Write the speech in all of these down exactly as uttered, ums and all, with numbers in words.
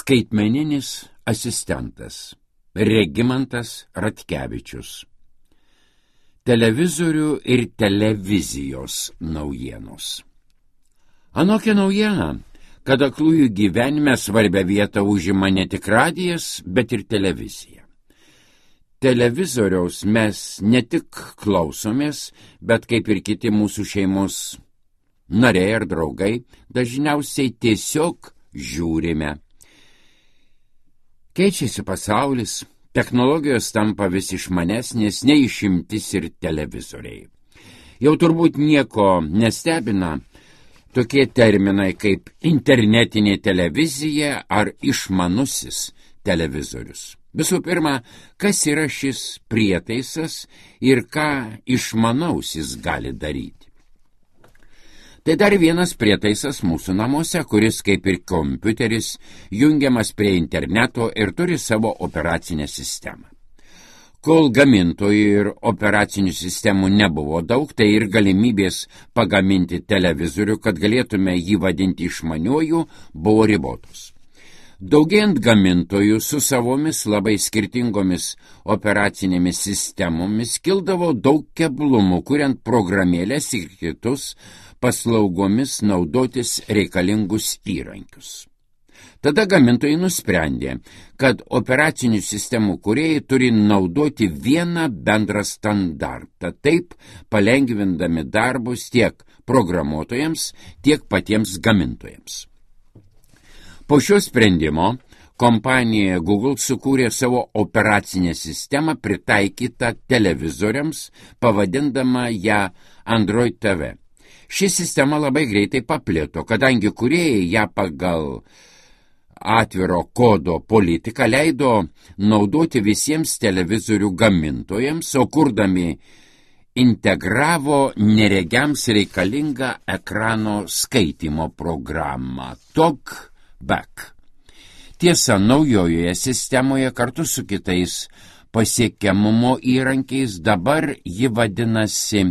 Skaitmeninis asistentas Regimantas Ratkevičius. Televizorių ir televizijos naujienos. Anokia naujiena, kad aklųjų gyvenime svarbią vietą užima ne tik radijas, bet ir televizija. Televizoriaus mes ne tik klausomės, bet kaip ir kiti mūsų šeimos nariai ar draugai, dažniausiai tiesiog žiūrime. Keičiasi pasaulis, technologijos tampa vis išmanesnės, neišimtis ir televizoriai. Jau turbūt nieko nestebina tokie terminai kaip internetinė televizija ar išmanusis televizorius. Visų pirma, kas yra šis prietaisas ir ką išmanausis gali daryti? Tai dar vienas prietaisas mūsų namuose, kuris kaip ir kompiuteris jungiamas prie interneto ir turi savo operacinę sistemą. Kol gamintojų ir operacinių sistemų nebuvo daug, tai ir galimybės pagaminti televizorių, kad galėtume jį vadinti išmaniuoju, buvo ribotos. Daugėjant gamintojų su savomis labai skirtingomis operacinėmis sistemomis kildavo daug keblumų, kuriant programėlės ir kitus paslaugomis naudotis reikalingus įrankius. Tada gamintojai nusprendė, kad operacinių sistemų kūrėjai turi naudoti vieną bendrą standartą, taip palengvindami darbus tiek programuotojams, tiek patiems gamintojams. Po šio sprendimo kompanija Google sukūrė savo operacinę sistemą pritaikytą televizoriams, pavadindama ją Android T V. Ši sistema labai greitai paplito, kadangi kūrėjai ją pagal atviro kodo politiką leido naudoti visiems televizorių gamintojams, o kurdami integravo neregiams reikalingą ekrano skaitymo programą TalkBack. Tiesa, naujojoje sistemoje kartu su kitais pasiekiamumo įrankiais dabar ji vadinasi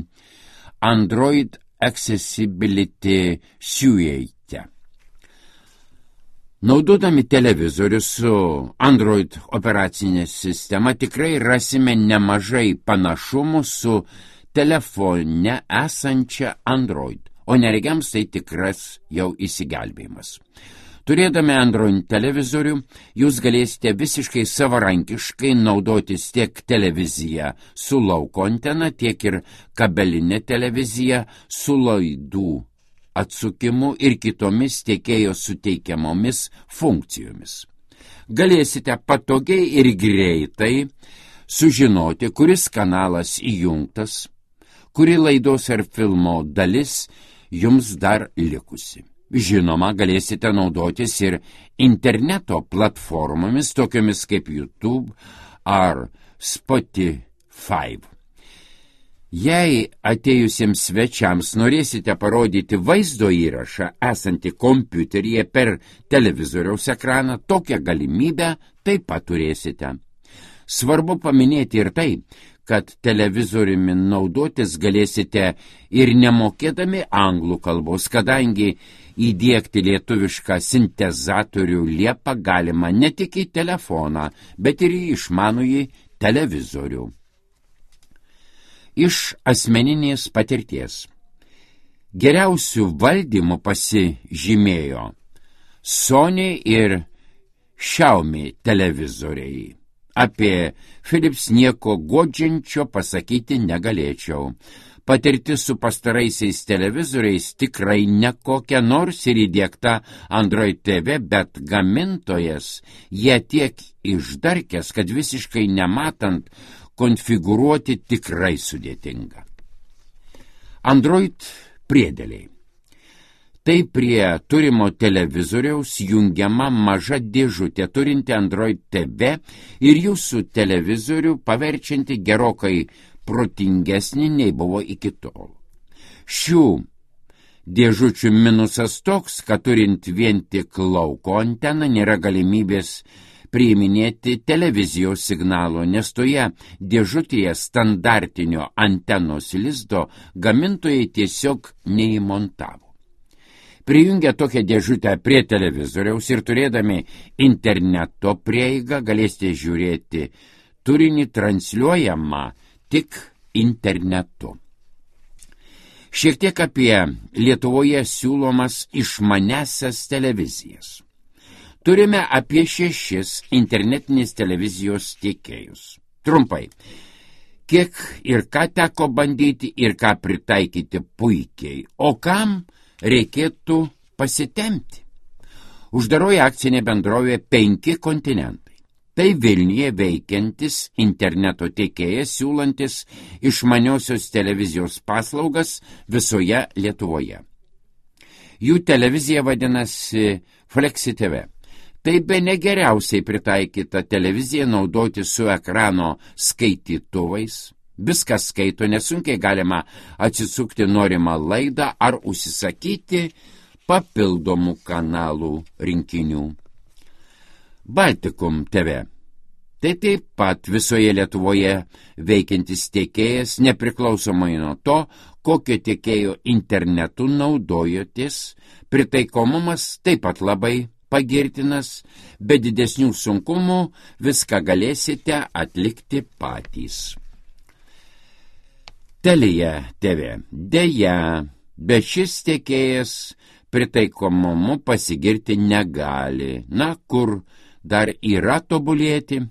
Android Accessibility Suite. Naudodami televizorių su Android operacinė sistema tikrai rasime nemažai panašumų su telefone esančia Android, o neregiams tai tikras jau įsigelbėjimas. Turėdami Android televizorių, jūs galėsite visiškai savarankiškai naudotis tiek televiziją su lauko antena, tiek ir kabelinė televizija su laidų atsukimu ir kitomis tiekėjo suteikiamomis funkcijomis. Galėsite patogiai ir greitai sužinoti, kuris kanalas įjungtas, kuri laidos ar filmo dalis jums dar likusi. Žinoma, galėsite naudotis ir interneto platformomis, tokiomis kaip YouTube ar Spotify. Jei atėjusiems svečiams norėsite parodyti vaizdo įrašą esantį kompiuteryje per televizoriaus ekraną, tokią galimybę taip pat turėsite. Svarbu paminėti ir tai, kad televizoriumi naudotis galėsite ir nemokėdami anglų kalbos, kadangi įdiegti lietuvišką sintezatorių liepą galima ne tik į telefoną, bet ir į išmanųjį televizorių. Iš asmeninės patirties. Geriausių valdymų pasižymėjo Sony ir Xiaomi televizoriai. Apie Philips nieko guodžiančio pasakyti negalėčiau. Patirtis su pastaraisiais televizoriais tikrai nekokia, nors ir įdiegta Android T V, bet gamintojas jie tiek išdarkęs, kad visiškai nematant konfigūruoti tikrai sudėtinga. Android priedėliai. Tai prie turimo televizoriaus jungiama maža dėžutė turinti Android T V ir jūsų televizorių paverčianti gerokai protingesnį nei buvo iki tol. Šių dėžučių minusas toks, kad turint vien tik lauko anteną nėra galimybės priiminėti televizijos signalo, nes toje dėžutėje standartinio antenos lizdo gamintojai tiesiog neįmontavo. Prijungę tokią dėžutę prie televizoriaus ir turėdami interneto prieigą galėsite žiūrėti turinį transliuojamą tik internetu. Šiek tiek apie Lietuvoje siūlomas išmanesias televizijas. Turime apie šešis internetinės televizijos tiekėjus. Trumpai, kiek ir ką teko bandyti ir ką pritaikyti puikiai, o kam reikėtų pasitemti. Uždaroji akcinė bendrovė Penki kontinentai. Tai Vilniuje veikiantis interneto tiekėjas siūlantis išmaniosios televizijos paslaugas visoje Lietuvoje. Jų televizija vadinasi Flexi T V. Tai bene geriausiai pritaikyta televizija naudoti su ekrano skaitytuvais. Viskas skaito, nesunkiai galima atsisukti norimą laidą ar užsisakyti papildomų kanalų rinkinių. Baltikum T V. Tai taip pat visoje Lietuvoje veikiantis tiekėjas, nepriklausomai nuo to, kokio tiekėjo internetu naudojotės, pritaikomumas taip pat labai pagirtinas, be didesnių sunkumų viską galėsite atlikti patys. Telia T V. Deja, bet šis tiekėjas pritaikomumu pasigirti negali. Na, kur dar yra tobulėti?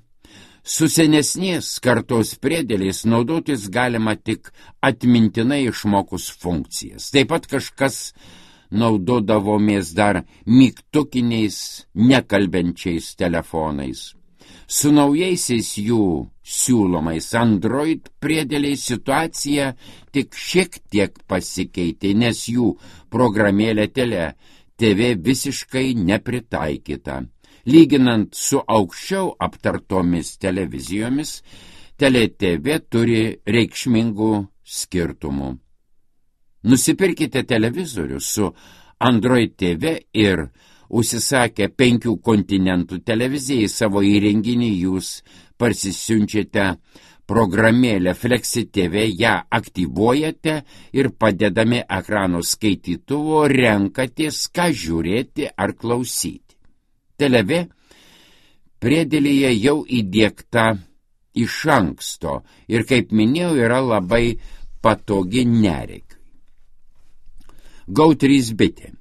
Su senesnės kartos priedėliais naudotis galima tik atmintinai išmokus funkcijas. Taip pat kažkas naudodavomės dar mygtukiniais, nekalbenčiais telefonais. Su naujaisiais jų siūlomais Android priedėliais situacija tik šiek tiek pasikeitė, nes jų programėlė Telia T V visiškai nepritaikyta. Lyginant su aukščiau aptartomis televizijomis, Telia T V turi reikšmingų skirtumų. Nusipirkite televizorių su Android T V ir užsisakę penkių kontinentų televizijai savo įrenginį jūs parsisiunčiate programėlę Flexi T V, ją aktyvuojate ir padedami ekrano skaitytuvo renkatės, ką žiūrėti ar klausyti. Telia T V priedėlyje jau įdiegta iš anksto ir, kaip minėjau, yra labai patogi neregiui. Go trys bitė.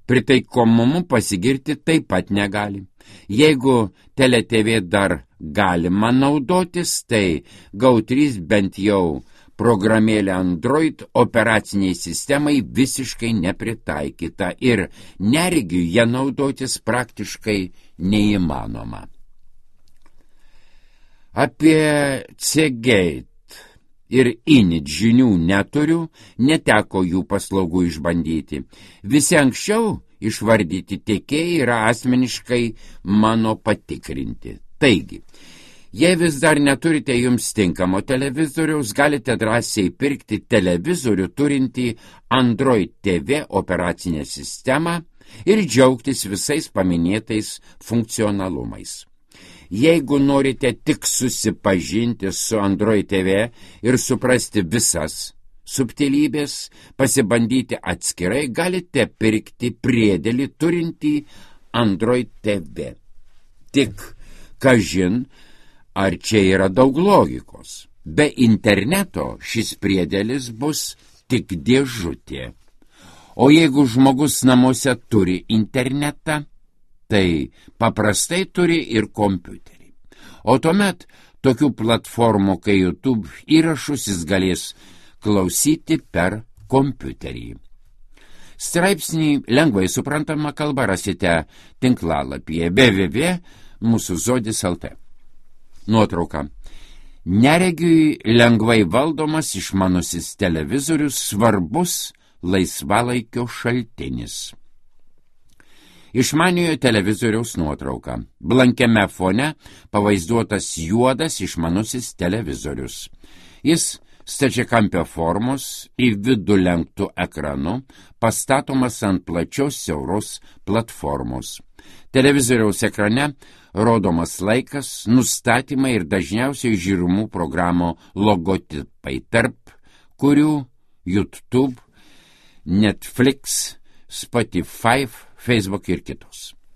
Pritaikomumu pasigirti taip pat negali. Jeigu Telia T V dar galima naudotis, tai Go trys bent jau programėlė Android operaciniai sistemai visiškai nepritaikyta ir neregiui ją naudotis praktiškai neįmanoma. Apie C-Gate ir Init žinių neturiu, neteko jų paslaugų išbandyti. Visi anksčiau išvardyti tiekėjai yra asmeniškai mano patikrinti. Taigi, jei vis dar neturite jums tinkamo televizoriaus, galite drąsiai pirkti televizorių turintį Android T V operacinę sistemą ir džiaugtis visais paminėtais funkcionalumais. Jeigu norite tik susipažinti su Android T V ir suprasti visas subtilybės, pasibandyti atskirai, galite pirkti priedėlį turintį Android T V. Tik, kažin, ar čia yra daug logikos. Be interneto šis priedėlis bus tik dėžutė. O jeigu žmogus namuose turi internetą, tai paprastai turi ir kompiuterį. O tuomet tokių platformų kaip YouTube įrašus jis galės klausyti per kompiuterį. Straipsnį lengvai suprantama kalba rasite tinklalapyje w w w taškas mūsų žodis taškas l t. Nuotrauka. Neregiui lengvai valdomas išmanusis televizorius svarbus laisvalaikio šaltinis. Išmaniojo televizoriaus nuotrauka. Blankiame fone pavaizduotas juodas išmanusis televizorius. Jis stačiakampio formos į vidų lenktų ekranu, pastatomas ant plačios siauros platformos. Televizoriaus ekrane rodomas laikas, nustatymai ir dažniausiai žiūrimų programų logotipai, tarp kurių YouTube, Netflix, Spotify, Facebook ir kitos.